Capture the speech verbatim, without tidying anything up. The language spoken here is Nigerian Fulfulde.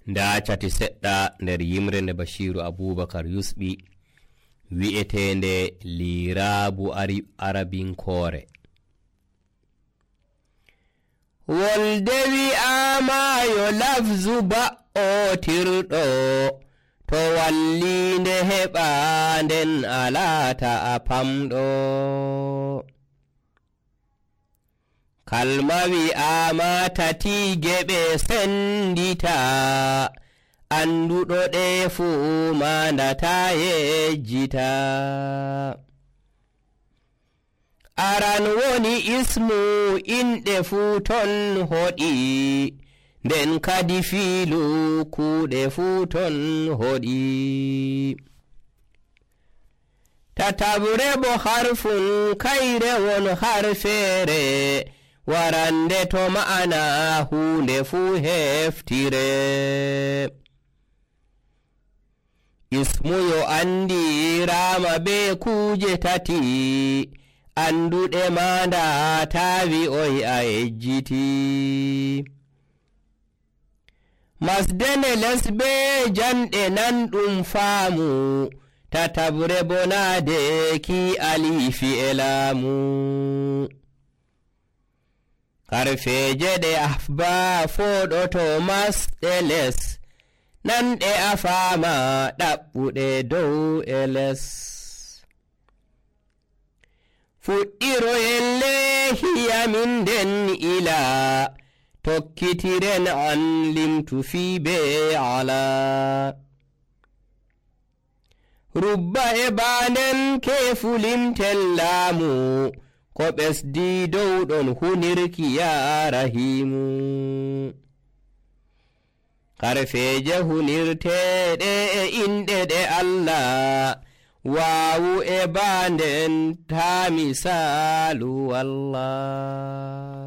nda cati seɗɗa nder yimre nde Bashiru Abubakar yusɓi wi'etende lirabu arabinkoore. Wolde wi'ama yo lafzu ba'otirɗo, to wallinde heɓa nden alata a pamɗo. Kalma wi'ama tati geɓe sendita, anduɗo ɗe fuu mandata yejjita. Aran woni ismu inɗe fuu ton hoɗi, nden kadi fiilu kuuɗe fuu ton hoɗi. Tatabre bo harfun kayre won harfeere, warande to ma'ana hunde fuu heftire. Ismu yo andirama be kuje tati, anduɗe manda tawi oy a yejjiti. Masdene lesbe janɗe nan ɗum faamu, tatabre bonade ki alifi e laamu. Harfeje ɗe afba foɗoto masɗe les, nanɗe a faama ɗaɓɓuɗe dow e les. Fuɗɗiroyen lehiyamin nden ila, tokkitiren an limtu fi be ala. Rubba e baanden kefu limtel laamu, ko ɓesdi dow ɗon hunirki ya rahimu. Harfeje hunirteɗe e inɗe ɗe Allah, waawu e baanden ta misalu Allah.